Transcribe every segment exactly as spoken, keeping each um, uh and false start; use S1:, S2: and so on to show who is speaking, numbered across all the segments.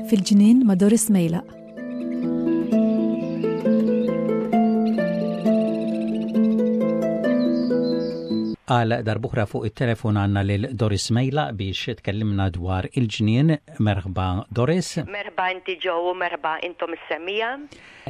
S1: Fil-ġnien ma' Doris Mejlaq.
S2: Għal darb'oħra fuq it-telefon għandna lil Doris Mejlaq biex tkellimna dwar il-ġnien. Merħba, Doris.
S3: Merħba inti, Joe, u merħba intom is-semmiegħa.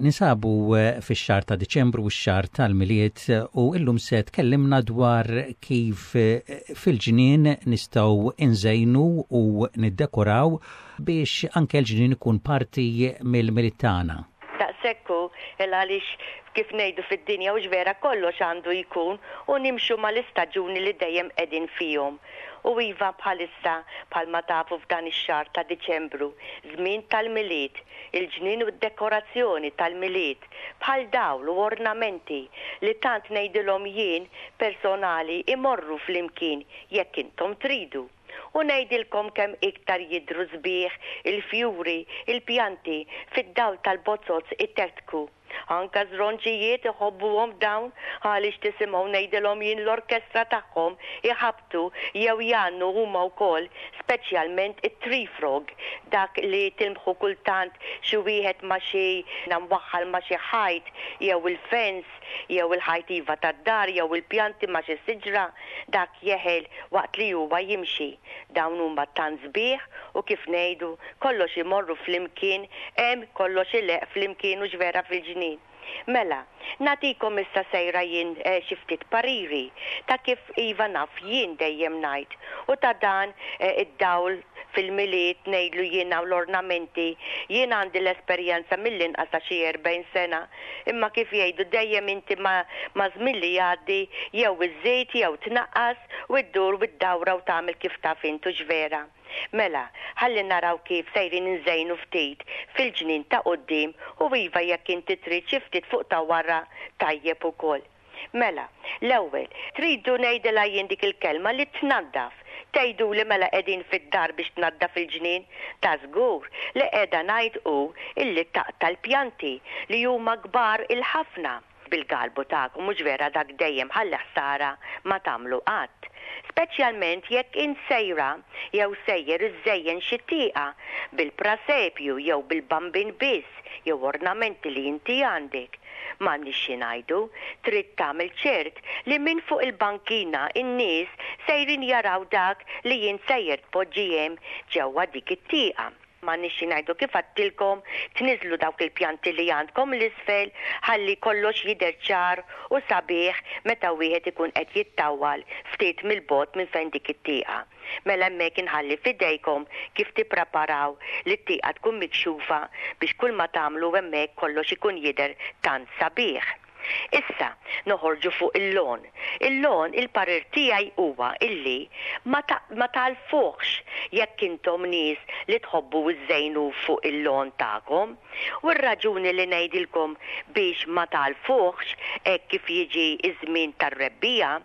S2: Ninsabu eh, fix-xahar ta' Diċembru u x-xahar tal-Milied u illum se tkellimna dwar kif eh, fil-ġnien nistgħu inżejnu u niddekoraw biex anke l-ġnien ikun parti mill-Milied tagħna.
S3: Daqshekk hu, għaliex kif ngħidu fid-dinja u vera kollox għandu jkun u nimxu mal-istaġuni li dejjem qegħdin fihom. U iva, bħalissa, bħalma tafu, f'dan ix-xahar ta' Diċembru, żmien tal-Milied, il-ġnien u d-dekorazzjoni tal-Milied, bħal dawl u ornamenti li tant ngħidilhom jien personali imorru flimkien jekk intom tridu. U ngħidilkom kemm iktar jidru sbieħ il-fjuri, il-pjanti fid-dawl tal-bozoz itekteku. Anka żronġijiet iħobbuhom dawn għaliex tisimgħu, ngħidilhom jien, l-orkestra tagħhom iħabtu jew jgħannu huma wkoll, speċjalment it-tree frog, dak li tilmħu kultant xi wieħed ma' xi mwaħħal ma' xi ħajt jew il-fence jew il-ħajt iva tad-dar jew il-pjanti ma' xi siġra, dak jeħel waqt li huwa jimxi. Dawn huma tant sbieħ u kif ngħidu kollox imorru flimkien, hemm kollox ileqq flimkien u vera fil-ġnien. Mela, nagħtikom issa sejra jien eh, xi ftit pariri ta' kif iva naf jien dejjem ngħid u ta' dan eh, id-dawl fil-Milied, ngħidlu jiena, u l-ornamenti. Jien għandi l-esperjenza mill-inqas ta' xi erbgħin sena, imma kif jgħidu dejjem inti ma, ma żmien li jgħaddi jew iżżid jew tnaqqas u ddur u d-dawra u tagħmel kif taf intu vera. Mela, ħalli naraw kif sejrin nżejnu ftit fil-ġnien ta' quddiem u iva, jekk inti trid xi ftit fuq ta' wara, tajjeb ukoll. Mela, l-ewwel, tridu, ngħidilha jien dik il-kelma li tnaddaf. Tgħidu li mela qegħdin fid-dar biex tnaddaf il-ġnien? Ta' żgur li qiegħda ngħid hu illi taqta' l-pjanti li huma kbar il-ħafna bil-galbu tagħkom, mhux vera? Dak dejjem ħalli ħsara ma tagħmlu qatt. Speċjalment jekk int sejra jew sejjer iżżejjen xi tieqa bil-prasepju jew bil-bambin biss jew ornamenti li inti għandek. M'għandniex xi ngħidu, trid tagħmel ċert li minn fuq il-bankina in-nies sejrin jaraw dak li jien sejjer tpoġġi hemm ġewwa dik it-tieqa. M'għandniex xi ngħidu, kif għedtilkom, tniżlu dawk il-pjanti li għandkom l-isfel ħalli kollox jidher ċar u sabiħ meta wieħed ikun qed jittawwal ftit mill-bogħod minn fejn dik it-tieqa. Mela hemmhekk inħalli fidejkom kif tippreparaw li t-tieqa tkun mikxufa biex kull ma tagħmlu hemmhekk kollox ikun jidher tant sabiħ. Issa, noħorġu fuq il-lawn. Il-lawn, il-parir tiegħi huwa illi ma, ta ma tagħlfuhx jekk intom nies li tħobbu iżżejnu fuq il-lawn tagħkom. U r-raġuni li ngħidilkom biex ma tagħlfuhx hekk kif jiġi iż-żmien tar-rebbiegħa,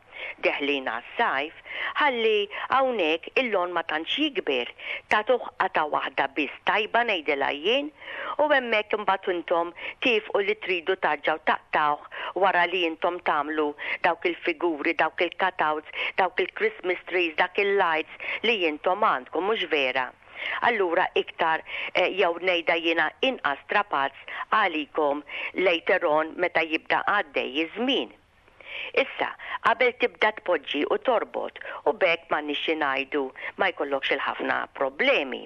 S3: deħlin għas-sajf, ħalli hawnhekk il-lawn ma tantx jikber. Tagħtuh qatgħa waħda biss tajba, ngħidilha jien, u hemmhekk imbagħad intom tifqu li tridu terġgħu taqtgħuh wara li intom tagħmlu dawk il-figuri, dawk il-cutouts, dawk il-Christmas trees, dak il-lights li intom għandkom, mhux vera? Allura iktar eh, jew ngħidha jiena inqas strapazz għalikom later on meta jibda għaddej iż-żmien. Issa, qabel tibda tpoġġi u torbot u biex m'għandniex ngħidu ma jkollokx il-ħafna problemi.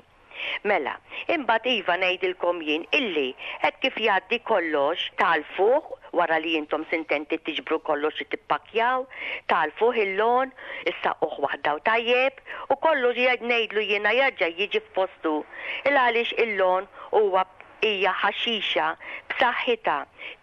S3: Mela, imbagħad iva, ngħidilkom jien illi hekk kif jgħaddi kollox tagħlfuh wara li intom sintenti tiġbru kollox li tippakjaw, tagħlfuh il-lawn, issaqquh waħda u tajjeb u kollox ngħidlu jiena jerġa' jiġi f'postu. Il għaliex il-lawn huwa hija ħaxixa b'saħħitha,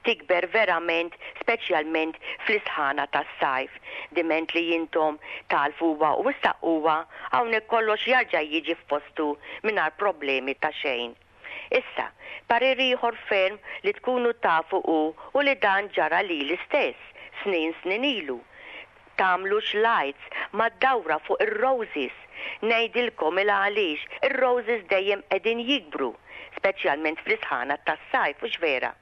S3: tikber verament, speċjalment fl-isħana tas-sajf. Diment li intom tagħlfuha u ssaqquha, hawnhekk kollox jerġa' jiġi f'postu mingħajr problemi ta' xejn. Issa, parir ieħor ferm li tkunu tafu u u li dan ġara li l-istess snin snin ilu. Tagħmlux lights mad-dawra fuq ir-roses. Ngħidilkom il għaliex: ir-roses dejjem qegħdin jikbru, speċjalment fl-isħana tas-sajf, u vera.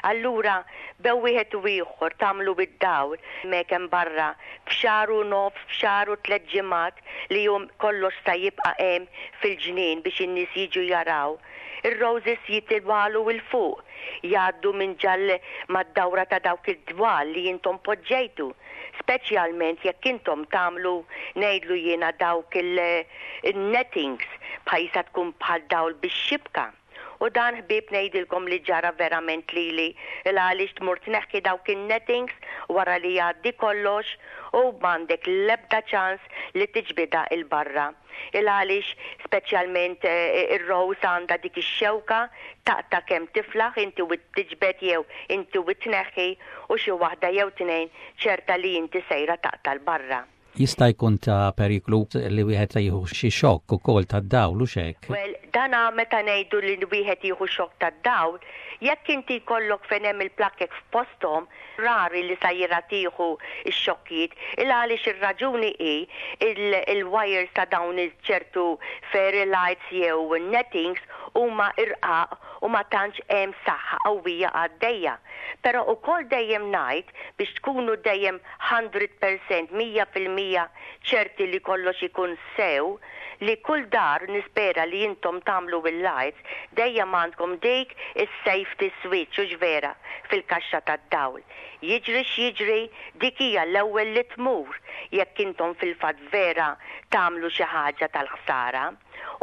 S3: Allura, bejn wieħed u ieħor tagħmlu bid-dawl hemm barra f'xahar u nofs, f'xahar u tliet ġimgħat li jum kollox ta' jibqa' hemm fil-ġnien biex in-nies jiġu jaraw. Ir-roses jitilgħu 'l fuq, jgħaddu minn ġol mad-dawra ta' dawk id-dwal li intom poġġejtu, speċjalment jekk intom tagħmlu, ngħidlu jiena, dawk il-nettings bħajsa tkun bħal dawl bix-xibka. U dan, ħbieb, ngħidilkom li ġara verament lili, il għaliex tmur tneħħi dawk in-nettings wara li jgħaddi kollox u m'għandek l-ebda ċans li tiġbida 'l barra. Il għaliex speċjalment eh, ir-rose għandha dik ix-xewka, taqta' kemm tiflaħ inti u tiġbed jew inti u tneħħi, u xi waħda jew tnejn ċerta li inti sejra taqta' 'l barra.
S2: Jista' jkun ta' periklu li wieħed jieħu xi xokk ukoll tad-dawl u hekk?
S3: Well, dana meta ngħidu li wieħed jieħu xokk tad-dawl, jekk inti jkollok fejn hemm il-plakkek f'posthom, rari li sejra tieħu x-xokkijiet, il għaliex ir-raġuni hi il-wires ta' dawn ċertu fairy lights jew nettings huma irqaq u ma tantx hemm saħħa qawwija għaddejja. Però ukoll dejjem ngħid biex tkunu dejjem mija fil-mija, mija fil-mija ċerti li kollox ikun sew, li kull dar nispera li intom tagħmlu bil-lights dejjem għandkom dik is-safety switch, u vera, fil-kaxxa tad-dawl. Jiġri x'jiġri, dik hija l-ewwel li tmur jekk intom fil-fatt vera tagħmlu xi ħaġa tal-ħsara.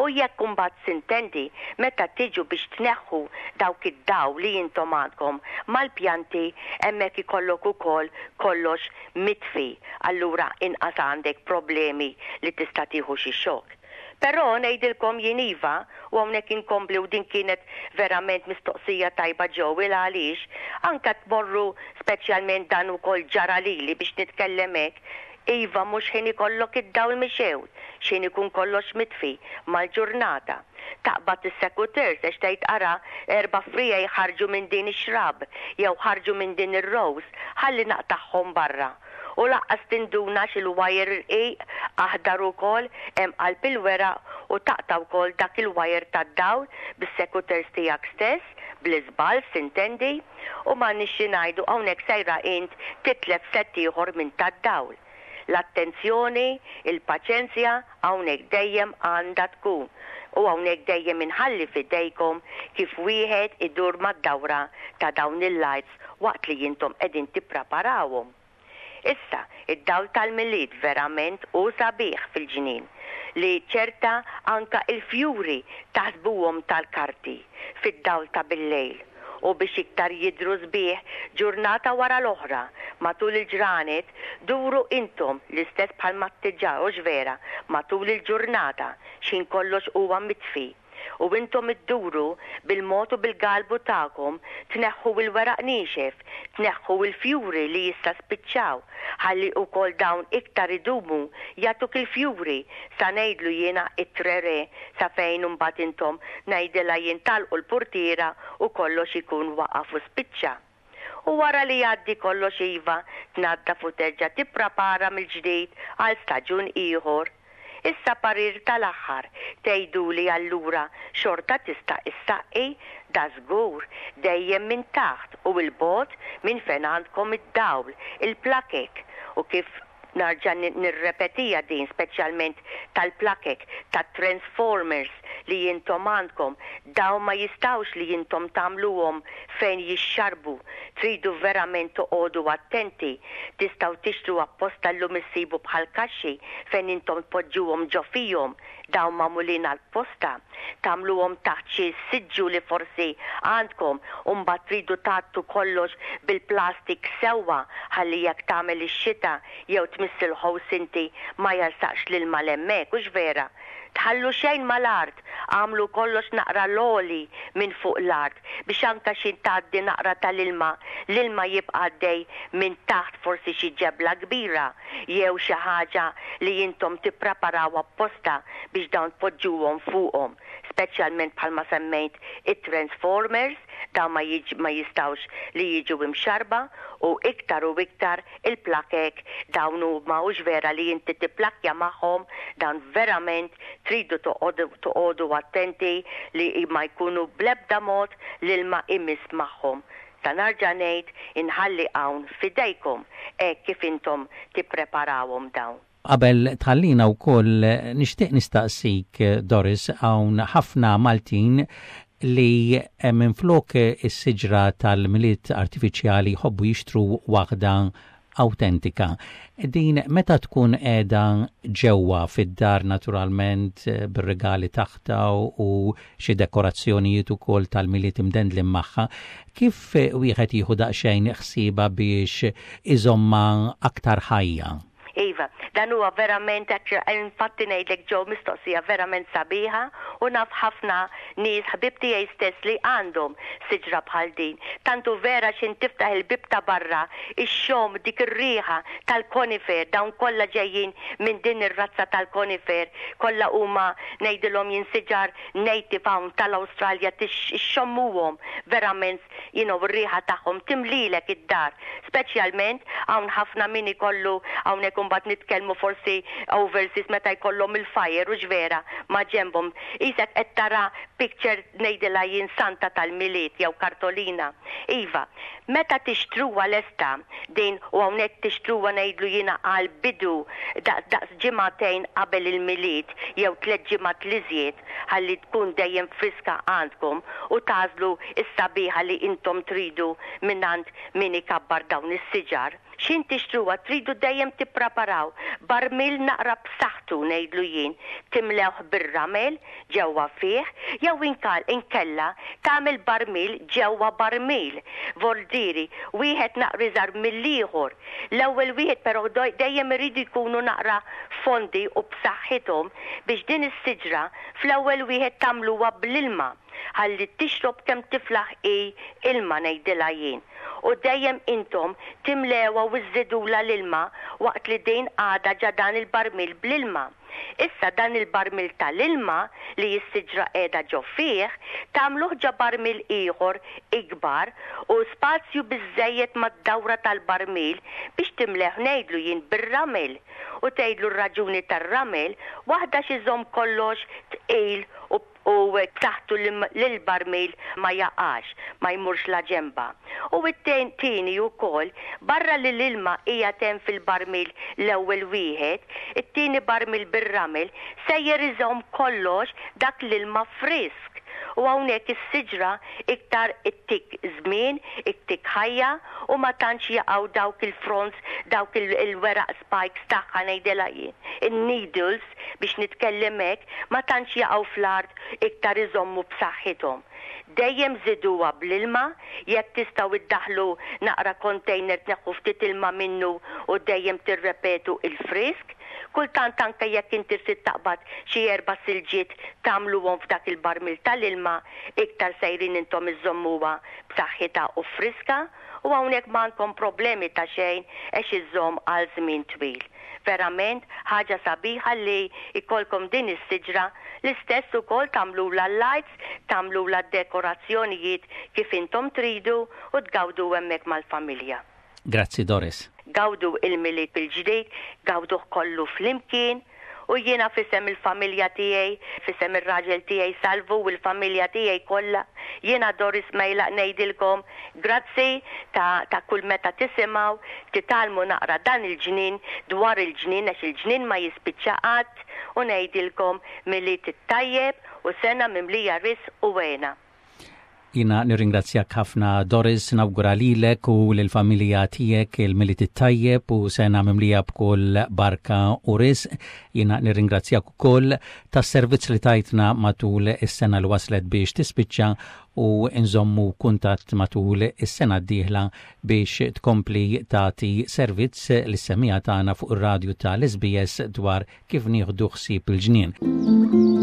S3: U jekk imbagħad sintendi meta tiġu biex tneħħu dawk id-dawl li intom għandkom mal-pjanti, hemmhekk ikollok ukoll kollox mitfi. Allura inqas għandek problemi li tista' tieħu xi xokk. Però ngħidilkom jien iva, u hawnhekk inkompli, u din kienet verament mistoqsija tajba ġew, għaliex anka tmorru, speċjalment dan ukoll ġara lili biex nitkellem hekk. Iva, mhux ħin ikollok id-dawl mixgħul, x'ħin ikun kollox mitfi mal-ġurnata. Taqbad is-secateurs għax tgħid, "Ara, erba' friegħi ħarġu minn din ix-shrub jew ħarġu minn din ir-rose, ħalli naqtagħhom barra." U lanqas tinduna x'il-wire irqiq aħdar ukoll hemm qalb il-weraq u taqta' wkoll dak il-wire tad-dawl bis-secateurs tiegħek stess, bl-iżball sintendi, u ma nixxi ngħidu hawnhekk sejra int titlef set ieħor minn tad-dawl. L-attenzjoni, il-paċenzja hawnhekk dejjem għandha tkun. U hawnhekk dejjem inħalli fidejkom kif wieħed idur mad-dawra ta' dawn il-lights waqt li intom qegħdin tippreparawhom. Issa, id-dawl tal-Milied verament hu sabiħ fil-ġnien li ċerta anka il-fjuri taħsbuhom tal-karti fid-dawl ta' bil-lejl, u biex iktar jidru sbieħ, ġurnata wara l-oħra matul il-ġranet duru intom l-istess bħal mattiġa vera matul il-ġurnata x'ħin kollox huwa mitfi, u intom idduru bil-mod u bil-galbu tagħkom tneħħu il-weraq niexef, tneħħu il-fjuri li jista' spiċċaw, ħalli ukoll dawn iktar idumu jagħtuk il-fjuri sa ngħidlu jiena it-trere sa fejn imbagħad intom, ngħidilha jien, tagħlqu l-portiera u kollox ikun waqaf u spiċċa. U wara li jgħaddi kollox, iva, tnaddaf u terġa' tipprepara mill-ġdid għal staġun ieħor. Issa parir tal-aħħar, tgħidu li allura xorta tista' issaqqi? Dażgur, dejjem minn taħt u 'l bogħod minn fejn għandkom id-dawl, il-plakek, u kif narġa' nirrepetija din, speċjalment tal-plakek, tat-transformers li intom għandkom, dawn ma jistawx li intom tagħmluhom fejn jixxarbu. Tridu verament toqogħdu attenti. Tistgħu tixtru apposta, llum issibu bħal kaxxi fejn intom tpoġġuhom ġo fihom, dawn magħmulin għal-posta. Tagħmluhom taħt xi siġġu li forsi għandkom u mbagħad tridu tgħattu kollox bil-plastik sewwa ħalli jekk tagħmel ix-xita jew tmiss il-hose inti ma jarsaqx l-ilma hemmhekk, hux vera? Tħallu xejn mal-art, għamlu kollox naqra l-għoli minn fuq l-art biex anka xi tgħaddi naqra tal-ilma, l-ilma jibqa' għaddej minn taħt forsi xi ġebla kbira jew xi ħaġa li intom tippreparaw apposta biex dawn tpoġġuhom fuqhom, speċjalment bħalma semmejt it-transformers, dawn ma, ma jistawx li jiġu imxarba, u iktar u iktar il-plakek dawn huma, hux vera, li inti tipplakja magħhom, dawn verament tridu toqogħdu attenti li ma jkunu blebda mod l-ilma imiss magħhom. Ta' narġa' ngħid, inħalli hawn f'idejkom hekk kif intom tippreparawhom dawn.
S2: Qabel tħallina wkoll, nixtieq nistaqsik, Doris, hawn ħafna Maltin li minflok is-siġra tal-Milied artifiċjali jħobbu jixtru waħda autentika. Din meta tkun qiegħda ġewwa fid-dar, naturalment bir-regali taħta u xi dekorazzjonijiet ukoll tal-Milied imdendlin magħha, kif wieħed jieħu daqsxejn ħsieba biex iżomma aktar ħajja?
S3: Iva, dan huwa verament, infatti ngħidlek ġew, mistoqsija verament sabiħa, u naf ħafna nies, ħbib tiegħi stess, li għandhom siġra bħal din. Tantu vera xin tiftaħ il-bib ta' barra, ixxomm dik ir-riħa tal-conifer, dawn kollha ġejjin minn din ir-razza tal-conifer, kollha huma, ngħidilhom jien, siġar native hawn tal-Awstralja, ixxommuhom verament, you know, ir-riħa tagħhom timlilek id-dar. Speċjalment hawn ħafna min ikollu hawnhekk, mbagħad nitkellmu forsi overseas, meta jkollhom il-fire u ġvera ma' ġembhom. Isek qed tara picture, ngħidilha jien, Santa tal-Milied jew kartolina. Iva, meta tixtruha lesta din, u hawnhekk tixtruha, ngħidlu jiena, għal bidu daqs ġimagħtejn qabel il-Milied jew tliet ġimgħat l-iżjed, ħalli tkun dejjem friska għandkom u tagħżlu is-sabiħa li intom tridu mingħand min ikabbar dawn is-siġar. Xin tixtruha, tridu dejjem tippreparaw barmil naqra b'saħħtu, ngħidlu jien, timlewh bir-ramel ġewwa fih, jew inkal inkella tagħmel barmil ġewwa barmil. Voldiri, wieħed naqra iżgħar mill-ieħor. L-ewwel wieħed però dejjem iridu jkunu naqra fondi u b'saħħithom biex din is-siġra fl-ewwel wieħed tagħmluha bl-ilma ħalli tixrob kemm tiflaħ i ilma, ngħidilha jien. U dejjem intom timlewha u żżidulha l-ilma waqt li din għadha ġo dan il-barmil bl-ilma. Issa dan il-barmil tal-ilma li s-siġra qiegħda ġo fih, tagħmluh ġo barmil ieħor ikbar u spazju biżejjed mad-dawra tal-barmil biex timleh, ngħidlu jien, bir-ramel. U tgħidlu r-raġuni tar-ramel, waħda x'iżomm kollox tqil u u taħtu l-barmil ma jaqax, ma jmurx la ġemba. U it-tieni ukoll, barra li l-ilma hija tem fil-barmil l-ewwel wieħed, it-tieni barmil bir-ramel sejjer iżomm kollox dak l-ilma frisk. U hawnhekk is-siġra iktar ittik żmien, ittik ħajja u ma tantx jaqgħu dawk il-fronds, dawk il-weraq spikes tagħha, ngħidilha jien, in-needles biex nitkellem hekk, ma tantx jaqgħu fl-art, iktar iżommu b'saħħithom. Dejjem żiduha bl-ilma, jekk tistgħu iddaħlu naqra container, tneħħu ftit ilma minnu u dejjem tirrepetu il-frisk. Kultant anke jekk inti trid taqbad xi erba' silġiet tagħmluhom f'dak il-barmil tal-ilma, iktar sejrin intom iżommuha b'saħħitha u friska, u hawnhekk m'għandkom problemi ta' xejn għax iżomm għal żmien twil. Verament ħaġa sabiħa li ikolkom din is-siġra, l-istess ukoll tagħmlulha l-lights, tagħmlulha dekorazzjonijiet kif intom tridu u tgawdu hemmhekk mal-familja.
S2: Grazzi, Doris.
S3: Gawdu il-Milied il-ġdid, gawduh kollu flimkien, u jiena f'isem il-familja tiegħi, f'isem ir-raġel tiegħi Salvu u l-familja tiegħi kollha, jiena Doris Mejlaq ngħidilkom grazzi ta', ta' kull meta tisimgħu, titgħallmu naqra dan il-ġnien, dwar il-ġnien, għax il-ġnien ma jispiċċa qatt, u ngħidilkom Milied it-tajjeb u sena mimlija risq u hena.
S2: Jiena nirringrazzjak ħafna, Doris, nawgura lilek u lill-familja tiegħek il-Milied it-tajjeb u sena mimlija b'kull barka u risq. Jiena nirringrazzjak ukoll tas-servizz li tajtna matul is-sena li waslet biex tispiċċa u nżommu kuntatt matul is-sena d-dieħla biex tkompli tagħti servizz lis-semmiegħa tagħna fuq ir-radju tal-S B S dwar kif nieħdu ħsieb il-ġnien.